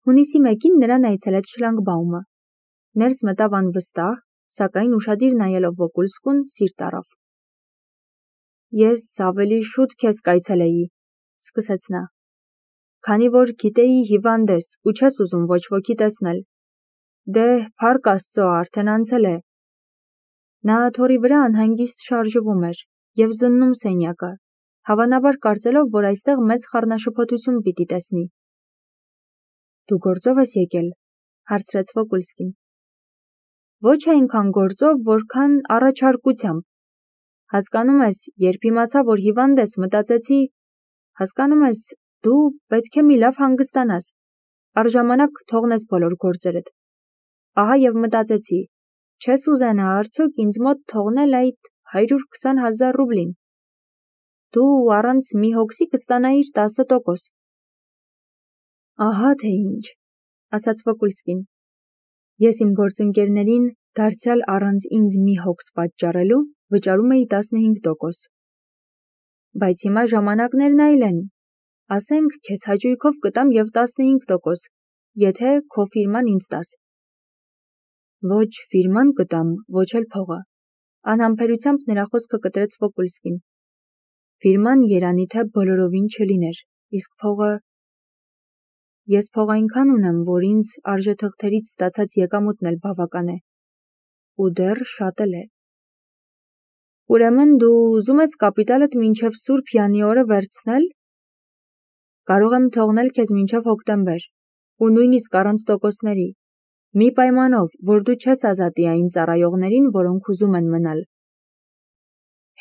Հունիսի 1-ին նրան այցելեց Շլանգբաումը։ Ներս մտավ անվստահ, սակայն ուշադիր նայելով Վոկուլսկուն, սիրտ առավ։ Ես ավելի շուտ քեզ կայցելեի, սկսեց նա, քանի որ գիտեի հիվանդ ես ու չես ուզում ոչ ոքի տեսնել։ Դե, փառք Աստծո, արդեն անցել է։ Նա աթոռի վրա անհանգիստ շարժվում էր և զննում սենյակը, հավանաբար կարծելով, որ այստեղ մեծ խառնաշփոթություն պիտի տեսնի։ Դու գործով ես եկել, հարցրեց Վոկուլսկին։ Ոչ այնքան գործով, որքան առաջարկությամբ։ Հասկանում ես, երբ իմացա, որ հիվանդ ես, մտածեցի, հասկանում ես, դու պետք է մի լավ հանգստանաս, առժամանակ թողնես բոլոր գործերդ։ Ահա և մտածեցի, չես ուզենա արդյոք ինձ մոտ թողնել այդ 120,000 ռուբլին։ Դու առանց մի հոգսի կստանայիր 10%։ Ահա թե ինչ, ասաց Վոկուլսկին։ Ես իմ գործընկերներին դարձյալ առանց ինձ մի հոգս պատճառելու վճարում էի 15%։ Բայց հիմա ժամանակներն այլ են։ Ասենք, քեզ հաճույքով կտամ և 15%, եթե քո ֆիրման ինձ տաս։ Ոչ ֆիրման կտամ, ոչ էլ փողը, անհամբերությամբ նրա խոսքը կտրեց Վոկուլսկին։ Ֆիրման երանի թե բոլորովին չլիներ, իսկ փողը… Ես փող այնքան ունեմ, որ ինձ արժեթղթերից ստացած եկամուտն էլ բավական է։ Ու դեռ շատ էլ է։ Ուրեմն դու ուզում ես կապիտալդ մինչև Սուրբ Յանի օրը վերցնել։ Կարող եմ թողնել քեզ մինչև հոկտեմբեր, ու նույնիսկ առանց տոկոսների, մի պայմանով, որ դու չես ազատի այն ծառայողներին, որոնք ուզում են մնալ։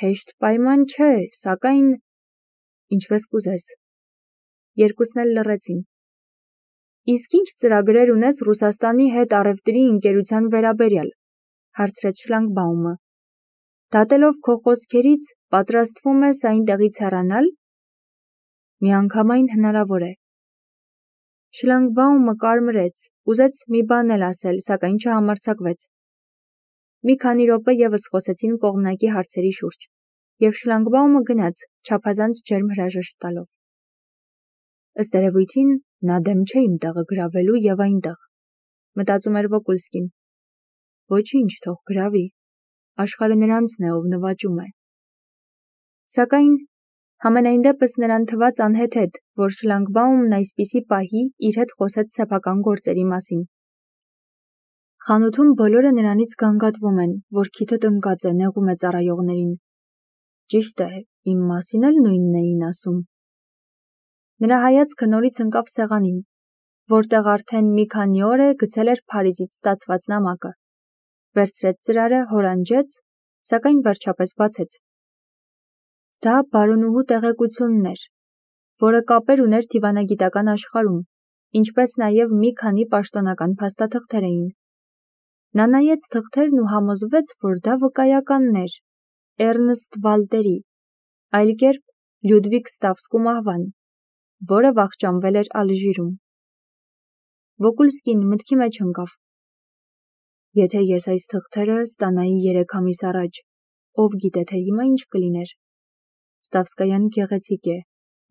Հեշտ պայման չէ, սակայն… Ինչպես կուզես։ Երկուսն էլ լռեցին։ Իսկ ինչ ծրագրեր ունես Ռուսաստանի հետ առևտրի ընկերության վերաբերյալ, հարցրեց Շլանգբաումը։ Դատելով քո խոսքերից, պատրաստվում ես այնտեղից հեռանալ։ Միանգամայն հնարավոր է։ Շլանգբաումը կարմրեց, ուզեց մի բան էլ ասել, սակայն չհամարձակվեց։ Մի քանի րոպե ևս խոսեցին կողմնակի հարցերի շուրջ, և Շլանգբաումը գնաց, չափազանց ջերմ հրաժեշտ տալով։ Ըստ երևույթին, նա դեմ չէ իմ տեղը գրավելու և այնտեղ, մտածում էր Վոկուլսկին։ Ոչինչ, թող գրավի, աշխարհը նրանցն է, ով նվաճում է։ Սակայն համենայն դեպս նրան թվաց անհեթեթ, որ Շլանգբաումն այսպիսի պահի իր հետ խոսեց սեփական գործերի մասին։ Խանութում բոլորը նրանից գանգատվում են, որ քիթը տնկած է, նեղում է ծառայողներին։ Ճիշտ է, իմ մասին էլ նույնն էին ասում։ Նրա հայացքը նորից ընկավ սեղանին, որտեղ արդեն մի քանի օր է գցել էր Փարիզից ստացված նամակը։ Վերցրեց ծրարը, հորանջեց, սակայն վերջապես բացեց։ Դա բարոնուհու տեղեկությունն էր, որը կապեր ուներ դիվանագիտական աշխարհում, ինչպես նաև մի քանի պաշտոնական փաստաթղթեր էին։ Նա նայեց թղթերն ու համոզվեց, որ դա վկայականն էր Էռնստ Վալտերի, այլ կերպ Լյուդվիգ Ստավսկու մահվան, որը վախճանվել էր Ալժիրում։ Վոկուլսկին մտքի մեջ ընկավ. Եթե ես այս թղթերը ստանայի 3 ամիս առաջ, ով գիտե թե հիմա ինչ կլիներ։ Ստավսկայան գեղեցիկ է,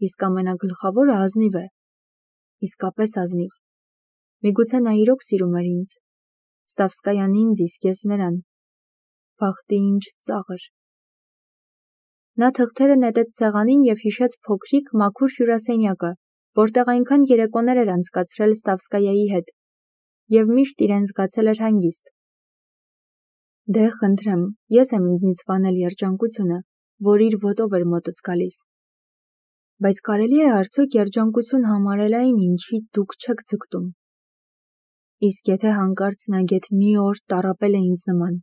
իսկ ամենագլխավորը ազնիվ է։ Իսկապես ազնիվ։ Միգուցե նա իրոք սիրում էր ինձ։ Ստավսկայան ինձ, իսկ ես նրան։ Բախտի ինչ ծաղր։ Նա թղթերը նետեց սեղանին և հիշեց փոքրիկ, մաքուր հյուրասենյակը, որտեղ այնքան երեկոներ էր անցկացրել Ստավսկայայի հետ, և միշտ իրեն զգացել էր հանգիստ։ Դե, խնդրեմ, ես եմ ինձնից վանել երջանկությունը, որ իր ոտով էր մոտս գալիս։ Բայց կարելի է արդյոք երջանկություն համարել այն, ինչի դուք չեք ձգտում։ Իսկ եթե հանկարծ նա գեթ մի օր տառապել է ինձ նման։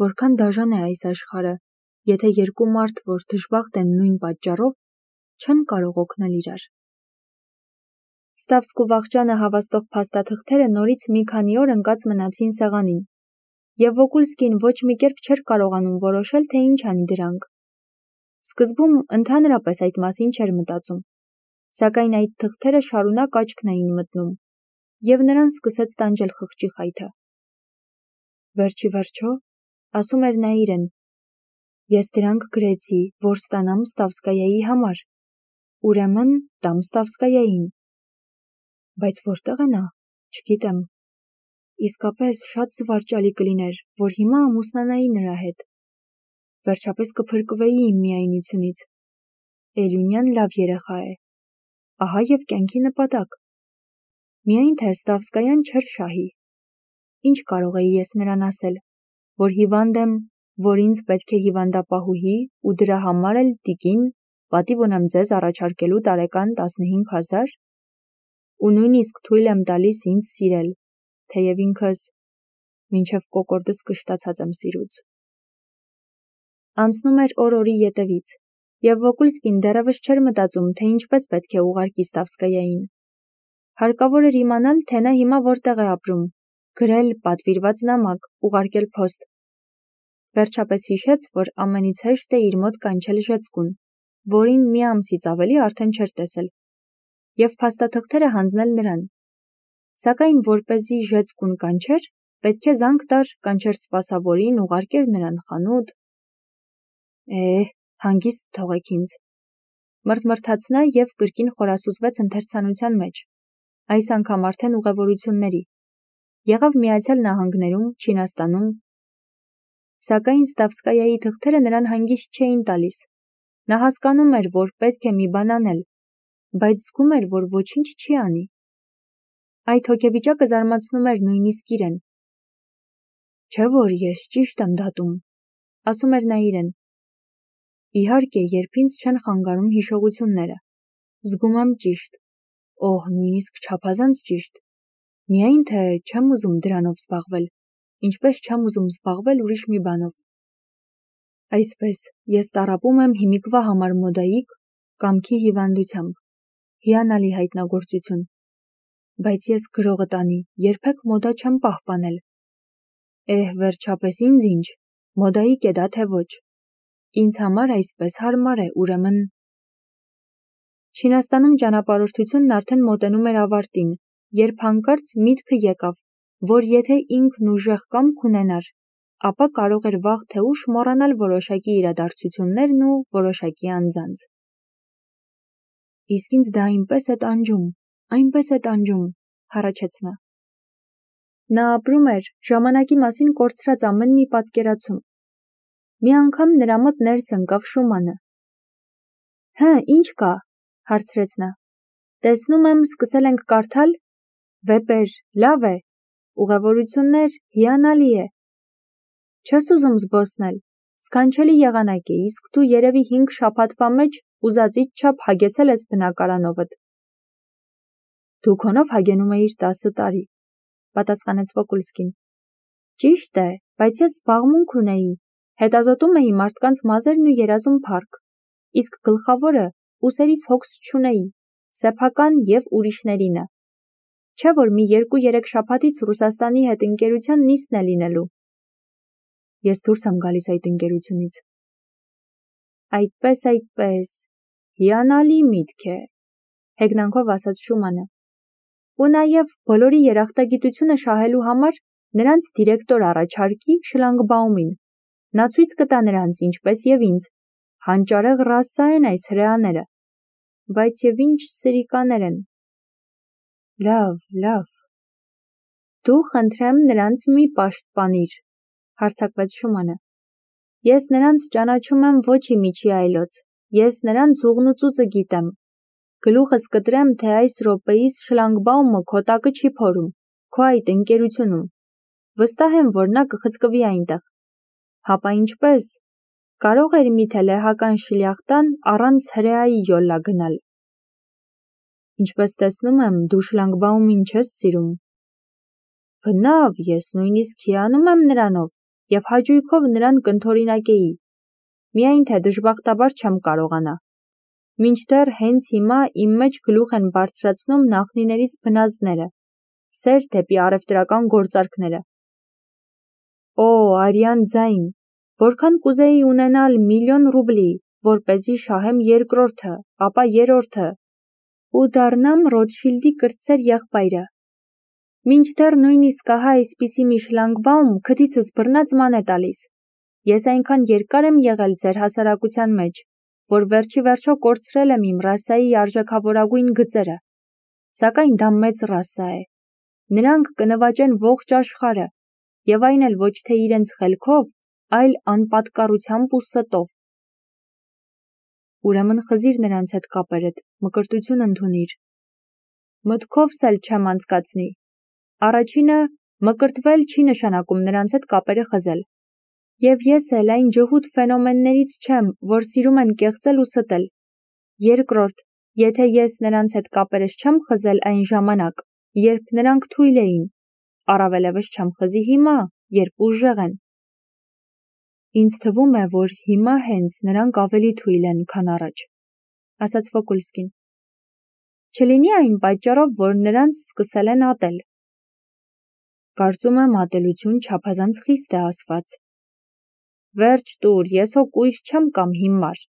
Որքան դաժան է այս աշխարհը, եթե երկու մարդ, որ դժբախտ են նույն պատճառով, չեն կարող օգնել իրար։ Ստավսկու վախճանը հավաստող փաստաթղթերը նորից մի քանի օր ընկած մնացին սեղանին, և Վոկուլսկին ոչ մի կերպ չէր կարողանում որոշել, թե ինչ անի դրանք։ Սկզբում ընդհանրապես այդ մասին չէր մտածում, սակայն այդ թղթերը շարունակ աչքն էին մտնում, և նրան սկսեց տանջել խղճի խայթը։ Վերջի վերջո, ասում էր նա իրեն, ես դրանք գրեցի, որ ստանամ Ստավսկայայի համար, ուրեմն տամ Ստավսկայային։ Բայց որտեղ է նա, չգիտեմ, իսկապես շատ զվարճալի կլիներ, որ հիմա ամուսնանայի նրա հետ, վերջապես կփրկվեի իմ միայնությունից, Էլյունյան լավ երեխա է, ահա և կյանքի նպատակ, միայն թե Ստավսկայան չէր շահի, ինչ կարող էի ես նրան ասել, որ հիվանդ եմ, որ ինձ պետք է հիվանդապահուհի ու դրա համար էլ տիկին, պատիվ ունեմ ձեզ առաջարկելու տարեկան 15,000, ու նույնիսկ թույլ եմ տալիս ինձ սիրել, թեև ինքս մինչև կոկորդս կշտացած եմ սիրուց։ Անցնում էր օր-օրի ետևից, և Վոկուլսկին դեռևս չէր մտածում, թե ինչպես պետք է ուղարկի Ստավսկայային։ Հարկավոր էր իմանալ, թե նա հիմա որտեղ է ապրում, գրել պատվիրված նամակ, ուղարկել փոստ։ Վերջապես հիշեց, որ ամենից հեշտ է իր մոտ կանչել Ժեցկուն, որին մի ամսից ավելի արդեն չէր տեսել, և փաստաթղթերը հանձնել նրան։ Սակայն որպեսզի Ժեցկուն կանչեր, պետք է զանգ տար կանչեր սպասավորին, ուղարկեր նրան խանութ։ Հանգիստ թողեք ինձ, մռթմռթաց նա և կրկին խորասուզվեց ընթերցանության մեջ, այս անգամ արդեն ուղևորությունների, եղավ Միացյալ Նահանգներում, Չինաստանում, սակայն Ստավսկայայի թղթերը նրան հանգիստ չէին տալիս, նա հասկանում էր, որ պետք է մի բան անել, բայց զգում էր, որ ոչինչ չի անի։ Այդ հոգեվիճակը զարմացնում էր նույնիսկ իրեն։ Չէ՞ որ ես ճիշտ եմ դատում, ասում էր նա իրեն։ Իհարկե, երբ ինձ չեն խանգարում հիշողությունները, զգում եմ ճիշտ, նույնիսկ չափազանց ճիշտ, միայն թե չեմ ուզում դրանով զբաղվել, ինչպես չեմ ուզում զբաղվել ուրիշ մի բանով։ Այսպես, ես տառապում եմ հիմիկվա համար մոդայիկ, կամքի հիվանդությամբ, հիանալի հայտնագործություն, բայց ես գրողը տանի, երբեք մոդա չեմ պահպանել։ Վերջապես ինձ ինչ, մոդայիկ է դա թե ոչ։ Ինձ համար այսպես հարմար է, ուրեմն։ Չինաստանում ճանապարհորդությունն արդեն մոտենում էր ավարտին, երբ հանկարծ միտքը եկավ, որ եթե ինքն ուժեղ կամք ունենար, ապա կարող էր վաղ թե ուշ մոռանալ որոշակի իրադարձություններն ու որոշակի անձանց։ Իսկ ինձ դա այնպես է տանջում, հառաչեց նա։ Նա ապրում էր ժամանակի մասին կորցրած ամեն մի պատկերացում։ Մի անգամ նրա մոտ ներս ընկավ Շումանը։ Ինչ կա, հարցրեց նա։ Տեսնում եմ, սկսել ենք կարդալ։ Վեպեր, լավ է, ուղևորություններ, հիանալի է։ Չես ուզում զբոսնել, սքանչելի եղանակ է, իսկ դու երևի 5 շաբաթվա մեջ ուզածիդ չափ հագեցել ես բնակարանովդ։ Դու քոնով հագենում էիր 10 տարի, պատասխանեց Վոկուլսկին։ Ճիշտ է, բայց ես զբաղմունք ունեի, հետազոտում էի մարդկանց մազերն ու երազում փառք, իսկ գլխավորը ուսերիս հոգս չունեի, սեփական և ուրիշներինը։ Չէ՞ որ մի 2-3 շաբաթից Ռուսաստանի հետ ընկերության նիստն է լինելու։ Ես դուրս եմ գալիս այդ ընկերությունից։ Այդպես, հիանալի միտք է, հեգնանքով ասաց Շումանը։ Ու նաև բոլորի երախտագիտությունը շահելու համար նրանց դիրեկտոր առաջարկի Շլանգբաումին։ Նա ցույց կտա նրանց, ինչպես և ինձ, հանճարեղ ռասա են այս հրեաները, բայց և ինչ սրիկաներ են։ Լավ։ Դու խնդրեմ նրանց մի պաշտպանիր, հարձակվեց Շումանը։ Ես նրանց ճանաչում եմ ոչ իմիջի այլոց, ես նրանց ուղն ու ծուծը գիտեմ։ Գլուխս կտրեմ, թե այս րոպեիս Շլանգբաումը քո տակը չի փորում, քո այդ ընկերությունում։ Վստահ եմ, որ նա կխցկվի այնտեղ։ Հապա ինչպես։ Կարող էր միթե լեհական շլյախտան առանց հրեայի յոլլա գնալ։ Ինչպես տեսնում եմ, դու Շլանգբաումին չես սիրում։ Բնավ, ես նույնիսկ հիանում եմ նրանով և հաճույքով նրան կընդօրինակեի, միայն թե դժբախտաբար չեմ կարողանա։ Մինչդեռ հենց հիմա իմ մեջ գլուխ են բարձրացնում նախնիներիս բնազդները, սեր դեպի առևտրական գործարքները։ Արյան ձայն, որքան կուզեի ունենալ 1,000,000 ռուբլի, որպեսզի շահեմ երկրորդը, ապա երրորդը, ու դառնամ Ռոթշիլդի կրտսեր եղբայրը։ Մինչդեռ նույնիսկ ահա այսպիսի մի Շլանգբաում քթիցս բռնած ման է տալիս։ Ես այնքան երկար եմ եղել ձեր հասարակության մեջ, որ վերջիվերջո կորցրել եմ իմ ռասայի արժեքավորագույն գծերը։ սակայն դա մեծ ռասա է։ Նրանք կնվաճեն ողջ աշխարհը, եւ այն էլ ոչ թե իրենց խելքով, այլ անպատկառությամբ ու ստով։ Ուրեմն խզիր նրանց հետ կապերդ, մկրտություն ընդունիր։ Մտքովս էլ չեմ անցկացնի։ Առաջինը, մկրտվել չի նշանակում նրանց հետ կապերը խզել։ Եվ ես էլ այն ջհուդ ֆենոմեններից չեմ, որ սիրում են կեղծել ու ստել։ Երկրորդ, եթե ես նրանց հետ կապերս չեմ խզել այն ժամանակ, երբ նրանք թույլ էին, առավելևս չեմ խզի հիմա, երբ ուժեղ են։ Ինձ թվում է, որ հիմա հենց նրանք ավելի թույլ են, քան առաջ, ասաց Վոկուլսկին։ Չլինի այն պատճառով, որ նրանց սկսել են ատել։ Կարծում եմ ատելություն չափազանց խիստ է ասված։ Վերջ տուր, ես հո կույր չեմ կամ հիմար։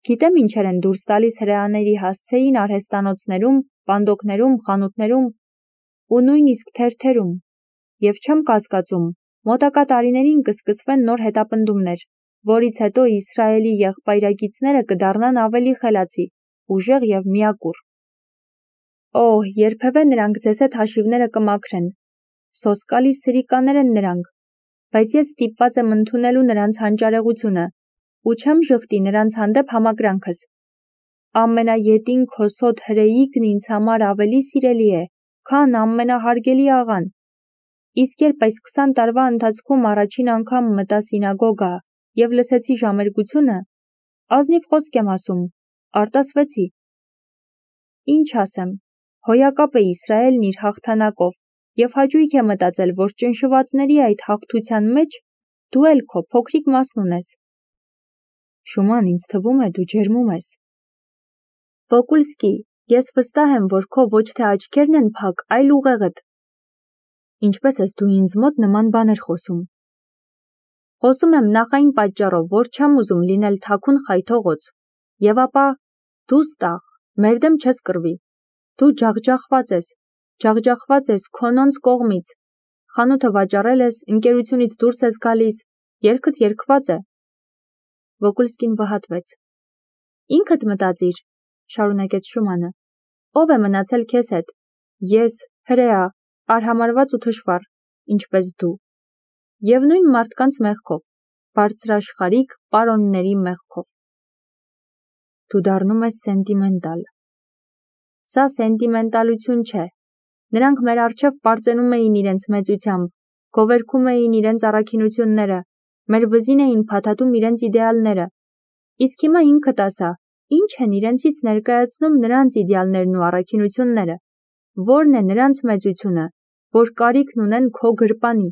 Գիտեմ ինչեր են դուրս տալիս հրեաների հասցեին արհեստանոցներում, պանդոկներում, խանութներում ու նույնիսկ թերթերում, եւ չեմ կասկածում, մոտակա տարիներին կսկսվեն նոր հետապնդումներ, որից հետո Իսրայելի եղբայրագիծները կդառնան ավելի խելացի, ուժեղ եւ միակուր։ Օհ, երբևէ նրանք ձեզ հետ հաշիվները կմաքրեն։ Սոսկալի սրիկաներ են նրանք, բայց ես ստիպված եմ ընդունելու նրանց հանճարեղությունը ու չեմ ժխտի նրանց հանդեպ համակրանքս։ Ամենաետին քոսոտ հրեիկն ինձ համար ավելի սիրելի է, քան ամենահարգելի աղան։ Իսկ երբ այս 20 տարվա ընթացքում առաջին անգամ մտա սինագոգա եւ լսեցի ժամերգությունը, ազնիվ խոսք եմ ասում, արտասվեցի։ Ինչ ասեմ, հոյակապ է Իսրայելն իր հաղթանակով եւ հաճույք է մտածել, որ ճնշվածների այդ հաղթության մեջ դու էլ քո փոքրիկ մասն ունես։ Շուման, ինձ թվում է դու ջերմում ես։ Վոկուլսկի, ես վստահ եմ, որ քո ոչ թե աչքերն են փակ, այլ ուղեղդ։ Ինչպես ես դու ինձ մոտ նման բաներ խոսում։ Խոսում եմ նախ այն պատճառով, որ չեմ ուզում լինել թաքուն խայթողոց, եւ ապա դու ստախ, մեր դեմ չես կռվի։ Դու ջախջախված ես քոնոնց կողմից, խանութը վաճառել ես, ընկերությունից դուրս ես գալիս, երգդ երգված է։ Վոկուլսկին վհատվեց։ Ինքդ մտածիր, շարունակեց Շումանը, ով է մնացել քեզ հետ։ Ես, հրեա, արհամարված ու թշվառ, ինչպես դու, եւ նույն մարդկանց մեղքով, բարձրաշխարհիկ պարոնների մեղքով։ Դու դառնում ես սենտիմենտալ։ Սա սենտիմենտալություն չէ։ Նրանք մեր առջև պարծենում էին իրենց մեծությամբ, գովերգում էին իրենց առաքինությունները, մեր վզին էին փաթաթում իրենց իդեալները։ Իսկ հիմա ինքդ ասա, ինչ են իրենցից ներկայացնում նրանց իդեալներն ու առաքինությունները, որն է նրանց մեծությունը, որ կարիքն ունեն քո գրպանի։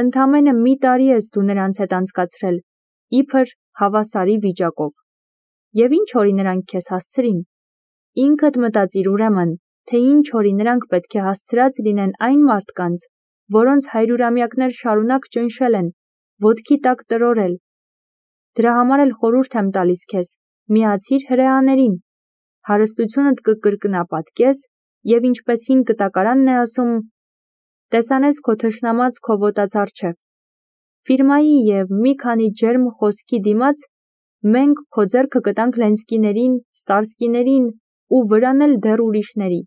Ընդամենը մի տարի ես դու նրանց հետ անցկացրել, իբր հավասարի վիճակով։ Եվ ինչ օրի նրանք քեզ հասցրին։ Ինքդ մտածիր ուրեմն, թե ինչ օրի նրանք պետք է հասցրած լինեն այն մարդկանց, որոնց հայրուրամյակներ շարունակ ճնշել են, ոտքի տակ տրորել։ Դրա համար էլ խորհուրդ եմ տալիս քեզ, միացիր հրեաներին, հարստությունդ կկրկնապատկես եւ ինչպես հին կտակարանն է ասում, տեսանես քո թշնամած քո ոտած առջև։ Ֆիրմայի եւ մի քանի ջերմ խոսքի դիմաց մենք քո ձեռքը կտանք Լենսկիներին, Ստարսկիներին ու վրան էլ դեռ ուրիշների։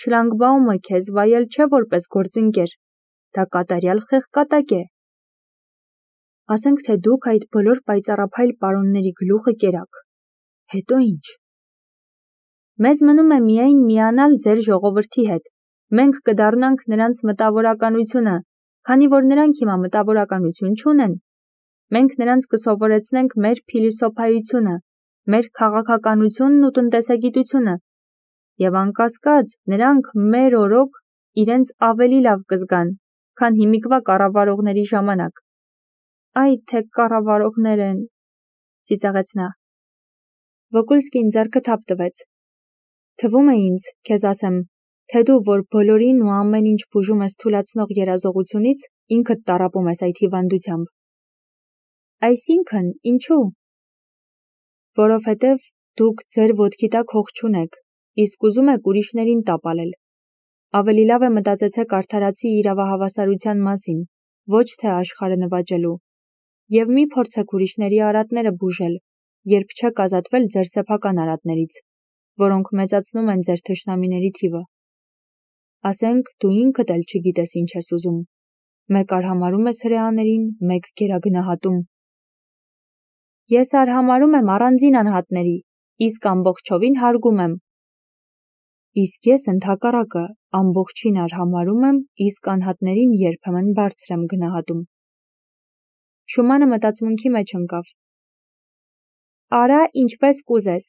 Շլանգբաումը քեզ վայել չէ որպես գործընկեր, դա կատարյալ խեղկատակ է։ Ասենք թե դուք այդ բոլոր պայծառափայլ պարոնների գլուխը կերաք։ Հետո ինչ։ Մեզ մնում է միայն միանալ ձեր ժողովրդի հետ։ Մենք կդառնանք նրանց մտավորականությունը, քանի որ նրանք հիմա մտավորականություն չունեն։ Մենք նրանց կսովորեցնենք մեր փիլիսոփայությունը, մեր քաղաքականությունն ու տնտեսագիտությունը։ Եվ անկասկած, նրանք մեր օրոք իրենց ավելի լավ կզգան, քան հիմիկվա կառավարողների ժամանակ։ Այ թե կառավարողներ են, ծիծաղեց նա։ Վոկուլսկին ձեռքը թափ տվեց։ Թվում է ինձ, քեզ ասեմ, թե դու, որ բոլորին ու ամեն ինչ բուժում ես թուլացնող երազողությունից, ինքդ տառապում ես այդ հիվանդությամբ։ Այսինքն, ինչու։ Որովհետև դուք ձեր ոտքի տակ հող չունեք, իսկ ուզում եք ուրիշներին տապալել։ Ավելի լավ է մտածեցեք արդարացի իրավահավասարության մասին, ոչ թե աշխարհը նվաճելու։ Եվ մի փորձեք ուրիշների արատները բուժել, երբ չեք ազատվել ձեր սեփական արատներից։ որոնք մեծացնում են ձեր թշնամիների թիվը։ Ասենք դու ինքդ էլ չգիտես ինչ ես ուզում։ Մեկ արհամարում ես հրեաներին, մեկ գերագնահատում։ Ես արհամարում եմ առանձին անհատների, իսկ ամբողջովին հարգում եմ։ Իսկ ես ընդհակառակը ամբողջին արհամարում եմ, իսկ անհատներին երբեմն բարձր եմ գնահատում։ Շումանը մտածմունքի մեջ ընկավ։ Արա ինչպես կուզես,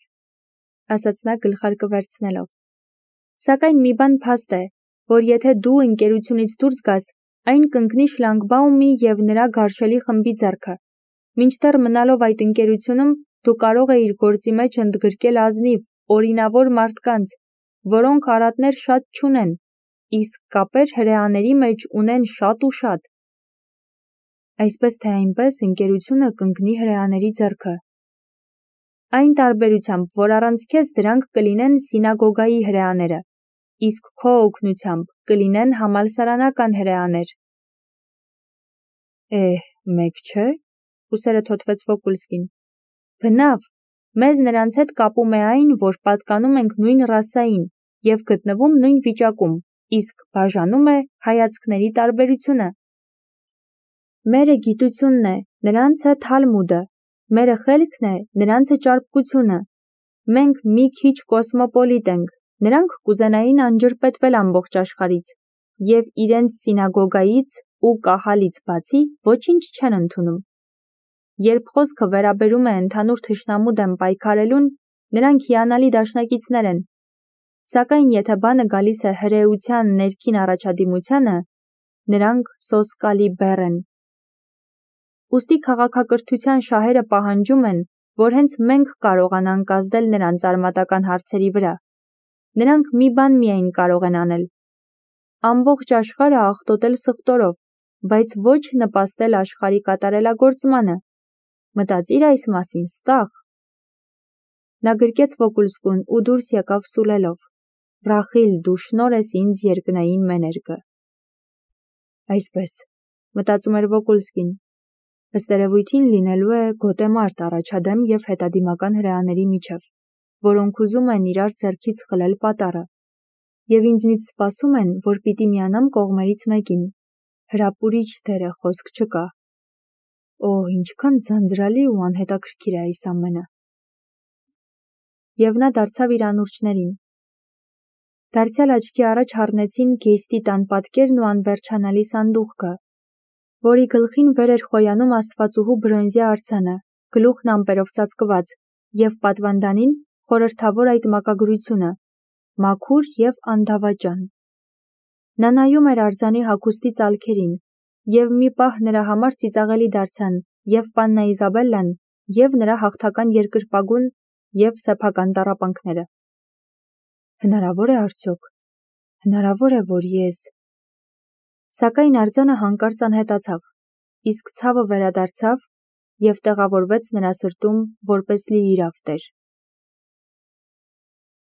ասաց նա գլխարկը վերցնելով։ Սակայն մի բան փաստ է, որ եթե դու ընկերությունից դուրս գաս, այն կընկնի Շլանգբաումի և նրա գարշելի խմբի ձեռքը։ Մինչդեռ մնալով այդ ընկերությունում, դու կարող էիր գործի մեջ ընդգրկել ազնիվ, օրինավոր մարդկանց, որոնք արատներ շատ չունեն, իսկ կապեր հրեաների մեջ ունեն շատ ու շատ։ Այսպես թե այնպես ընկերությունը կընկնի հրեաների ձեռքը։ Այն տարբերությամբ, որ առանց քեզ դրանք կլինեն սինագոգայի հրեաները, իսկ քո օգնությամբ կլինեն համալսարանական հրեաներ։ Մեկ չէ, ուսերը թոթվեց Վոկուլսկին։ Բնավ, մեզ նրանց հետ կապում է այն, որ պատկանում ենք նույն ռասային և գտնվում նույն վիճակում, իսկ բաժանում է հայացքների տարբերությունը։ Մերը գիտությունն է, նրանցը թալմուդը, մերը խելքն է, նրանցը ճարպկությունը։ Մենք մի քիչ կոսմոպոլիտ ենք, նրանք կուզենային անջրպետվել ամբողջ աշխարհից և իրենց սինագոգայից ու կահալից բացի ոչինչ չեն ընդունում։ Երբ խոսքը վերաբերում է ընդհանուր թշնամու դեմ պայքարելուն, նրանք հիանալի դաշնակիցներ են, սակայն եթե բանը գալիս է հրեության ներքին առաջադիմությանը, նրանք սոսկալի բեռ են։ Ուստի քաղաքակրթության շահերը պահանջում են, որ հենց մենք կարողանանք ազդել նրանց արմատական հարցերի վրա։ Նրանք մի բան միայն կարող են անել. ամբողջ աշխարհը աղտոտել սխտորով, բայց ոչ նպաստել աշխարհի կատարելագործմանը։ Մտածիր այս մասին, ստախ։ Նա գրկեց Վոկուլսկուն ու դուրս եկավ սուլելով. Ռախիլ, դու շնոր ես ինձ երկնային մեներգը։ Այսպես, մտածում էր Վոկուլսկին, ըստ երևույթին լինելու է գոտեմարտ առաջադեմ և հետադիմական հրեաների միջև, որոնք ուզում են իրար ձեռքից խլել պատառը, և ինձնից սպասում են, որ պիտի միանամ կողմերից մեկին։ Հրապուրիչ դեր է, խոսք չկա։ Ինչքան ձանձրալի ու անհետաքրքիր է այս ամենը։ Եվ նա դարձավ իր անուրջներին։ Դարձյալ աչքի առաջ առնեցին Գեյստի տան պատկերն ու անվերջանալի սանդուղքը, որի գլխին վեր էր խոյանում աստվածուհու բրոնզյա արձանը, գլուխն ամպերով ծածկված, և պատվանդանին խորհրդավոր այդ մակագրությունը՝ մաքուր և անդավաճան։ Նա նայում էր արձանի հագուստի ծալքերին, և մի պահ նրա համար ծիծաղելի դարձան և Պաննա Իզաբելլան, և նրա հաղթական երկրպագուն և սեփական տառապանքները։ Հնարավոր է արդյոք։ Հնարավոր է, որ ես… Սակայն արձանը հանկարծ անհետացավ, իսկ ցավը վերադարձավ և տեղավորվեց նրա սրտում որպես լիիրավ տեր։